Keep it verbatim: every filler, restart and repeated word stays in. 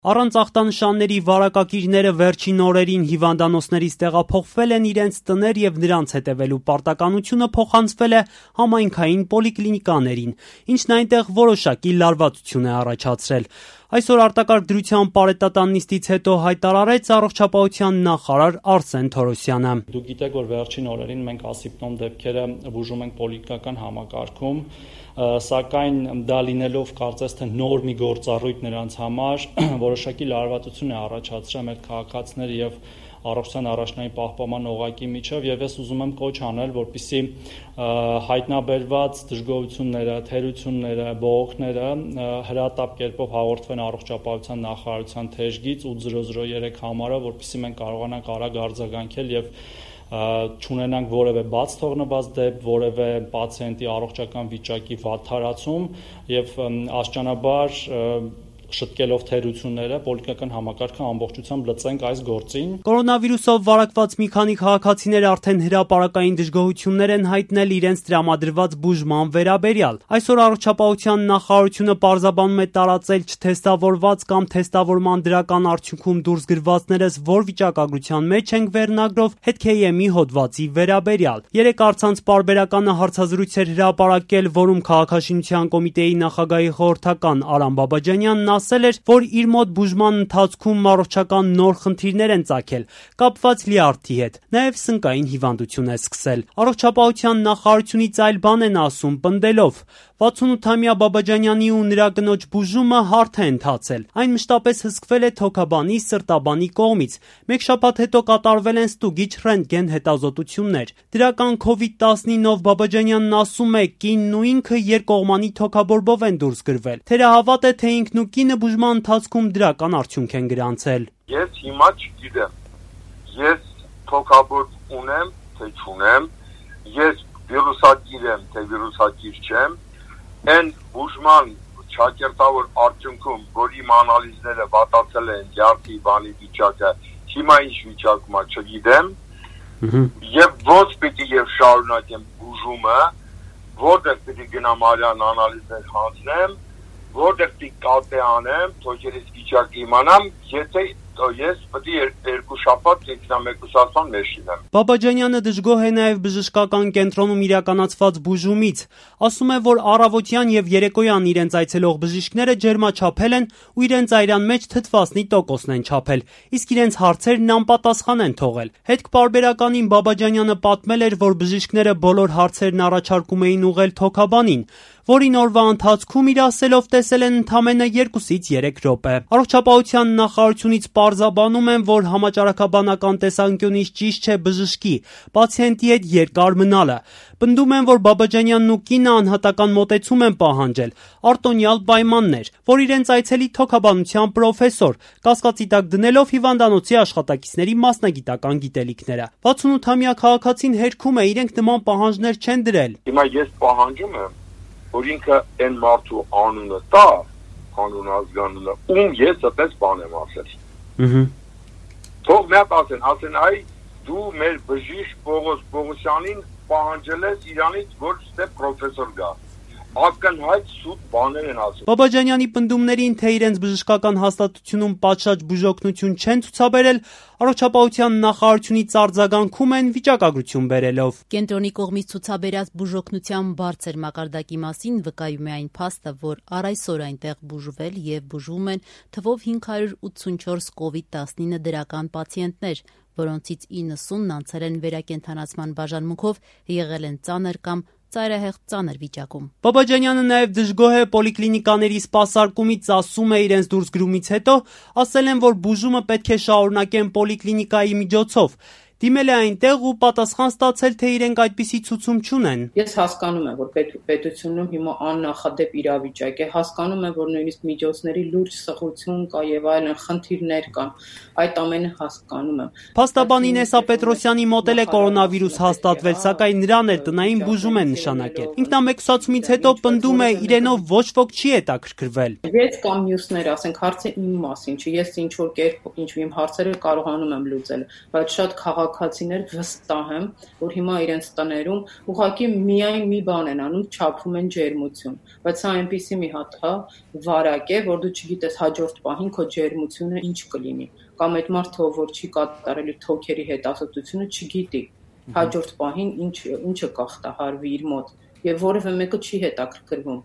Առանց ախտանշանների վարակակիրները վերջին օրերին հիվանդանոցներից տեղափոխվել են իրենց տներ եւ նրանց հետեւելու պարտականությունը փոխանցվել է համայնքային պոլիկլինիկաներին, ինչն այնտեղ որոշակի լարվածություն է առաջացրել։ Այսօր արտակարգ դրության պարետատան նիստից հետո հայտարարեց առողջապահության նախարար Արսեն Թորոսյանը։ Դուք գիտեք, որ վերջին օրերին մենք ասիպտոմ դեպքերը բուժում ենք պոլիկլինիկական համակարգում, սակայն դա լինելով կարծես թե նոր մի գործառույթ նրանց համար որոշակի լարվածություն է առաջացրել մեր քաղաքացիների եւ առողջության առաջնային պահպանման օղակի միջև եւ ես ուզում եմ կոչ անել, որպեսզի հայտնաբերված դժգոհությունները, թերությունները, բողոքները հրատապ կերպով հաղորդվեն առողջապահության նախարարության թեժգից ութ զրո զրո երեք համարով, որպեսզի մենք կարողանանք արագ արձագանքել եւ չունենանք որևէ բաց թողնված դեպք, որևէ պացիենտի առողջական վիճակի վատթարացում եւ աստիճանաբար շտկելով թերությունները պոլիկլինիկական համակարգը ամբողջությամբ լծենք այս գործին։ Կորոնավիրուսով վարակված մի քանի քաղաքացիներ արդեն հրապարակային դժգոհություններ են հայտնել իրենց տրամադրված բուժման վերաբերյալ։ Այսօր առողջապահության նախարարությունը պարզաբանում է տարածել չթեստավորված կամ թեստավորման դրական արդյունքում դուրս գրվածներս որ վիճակագրության մեջ ենք վերնագրով հետ քեյ էմ-ի հոդվածի վերաբերյալ։ Երեք առցանց պարբերականը հարցազրույց էր հրապարակել, որում քաղաքաշինության կոմիտեի նախագահի խորհրդական Արամ Բաբաջանյանն ասել էր, որ իր մոտ բուժման ընթացքում առողջական նոր խնդիրներ են ծագել, կապված լյարդի հետ, նաև սնկային հիվանդություն է սկսել։ Առողջապահության նախարարությունից այլ բան են ասում, պնդելով. վաթսունութամյա Բաբաջանյանի ու նրա կնոջ բուժումը հարթ է ընթացել։ Այն մշտապես հսկվել է թոքաբանի, սրտաբանի կողմից։ Մեկ շաբաթ հետո կատարվել են ստուգիչ ռենտգեն հետազոտություններ։ Դրական քովիդ տասնինով Բաբաջանյանն ասում է, կինն ու ինքը երկկողմանի թոքաբորբով են դուրս գրվել։ Թերահավատ է, թե ինքն ու կինը բուժման ընթացքում դրական արդյունք են գրանցել։ Ես հիմա չգիտեմ, ես թոքաբորբ ունեմ, թե չունեմ, ես վիրուսակիր եմ, թե վիրուսակիր չեմ, են բուժման չակերտավոր արդյունքում, որ իմ անալիզները վատացել են յարդի բանի վիճակը, հիմա ինչ վիճակում է չգիտեմ, եւ ոչ պիտի եւ շարունակեմ բուժումը, որտեղ պիտի գնամ արյան անալիզներ հանձնեմ, որտեղ պիտի կատե անեմ, թոքերից վիճակը իմանամ, եթե ես պիտի երկու շաբաթ ինքնամեկուսացման մեջ լինեմ։ Բաբաջանյանը դժգոհ է նաև բժշկական կենտրոնում իրականացված բուժումից։ Ասում է, որ առավոտյան եւ երեկոյան իրենց այցելող բժիշկները ջերմաչափել են ու իրենց այրան մեջ թթվասնի տոկոսն են չափել, իսկ իրենց հարցերն անպատասխան են թողել։ Հետք պարբերականին Բաբաջանյանը պատմել էր, որ բժիշկները բոլոր հարցերն առաջարկում էին ուղղել թոքաբանին, որին օրվա ընթացքում իր ասելով տեսել են ընդամենը երկուսից երեք րոպե։ Առողջապահության նախարարությունից պարզաբանում են, որ համաճարակաբանական տեսանկյունից ճիշտ չէ բժշկի, պացիենտի հետ երկար մնալը։ Պնդում են, որ Բաբաջանյանն ու կինը անհատական մոտեցում են պահանջել, արտոնյալ պայմաններ, որ իրենց այցելի թոքաբանության պրոֆեսոր, կասկածի տակ դնելով հիվանդանոցի աշխատակիցների մասնագիտական գիտելիքները։ վաթսունութամյա քաղաքացին հերքում է, իրենք նման պահանջներ չեն դրել։ Հիմա ես պահանջում եմ, որ ինքը այն մարդու անունը տա, անուն ազգանունը, ում ես այդպես բան եմ ասել։ Ահա։ Թող մի հատ ասեն, ասեն, այ դու մեր բժիշկ Պողոս Պողոսյանին պահանջել ես իրանից, որ ստե պրոֆեսոր գա։ Ակնհայտ սուտ բաներ են ասում։ Բաբաջանյանի պնդումներին, թե իրենց բժշկական հաստատությունում պատշաճ բուժօգնություն չեն ցուցաբերել, առողջապահության նախարարությունից արձագանքում են վիճակագրություն բերելով։ Կենտրոնի կողմից ցուցաբերած բուժօգնության բարձր մակարդակի մասին վկայում է այն փաստը, որ առ այսօր այնտեղ բուժվել եւ բուժվում են թվով հինգ հարյուր ութսունչորս կովիդ տասնինը դրական պացիենտներ, որոնցից իննսունն անցել են վերակենդանացման բաժանմունքով, եղել են ծանր կամ ծայրահեղ ծանր վիճակում։ Բաբաջանյանը նաև դժգոհ է պոլիկլինիկաների սպասարկումից, ասում է իրենց դուրսգրումից հետո, ասել են, որ բուժումը պետք է շարունակեն պոլիկլինիկայի միջոցով։ Դիմել է այնտեղ ու պատասխան ստացել, թե իրենք այդպիսի ցուցում չունեն։ Ես հասկանում եմ, որ պետ, պետությունում հիմա աննախադեպ իրավիճակ է, հասկանում եմ, որ նույնիսկ միջոցների լուրջ սղություն կա եւ այլն խնդիրներ կան, այդ ամենը հասկանում եմ։ Փաստաբանի Նեսա Պետրոսյանի մոտ էլ է կորոնավիրուս հաստատվել, սակայն նրան էլ տնային բուժում են նշանակել։ Ինքնամեկուսացումից հետո պնդում է, իրենով ոչ ոք չի հետաքրքրվել։ Ես կամ մյուսներ, ասենք, հարցը իմ մասին չի, ես ինչ որ կերպ ինչ իմ հարցերը կարողանում եմ լուծել, բայց շատ քաղաք քաղաքացիներ վստահ եմ, որ հիմա իրենց տներում ուղղակի միայն մի բան են անում, չափում են ջերմություն, բայց սա այնպիսի մի հատ հա վարակ է, որ դու չգիտես հաջորդ պահին քո ջերմությունը ինչ կլինի, կամ այդ մարդը, որ չի կատարել իր թոքերի հետազոտությունը, չգիտի հաջորդ պահին ինչ ինչը կախտահարվի իր մոտ, եւ որևէ մեկը չի հետաքրքրվում։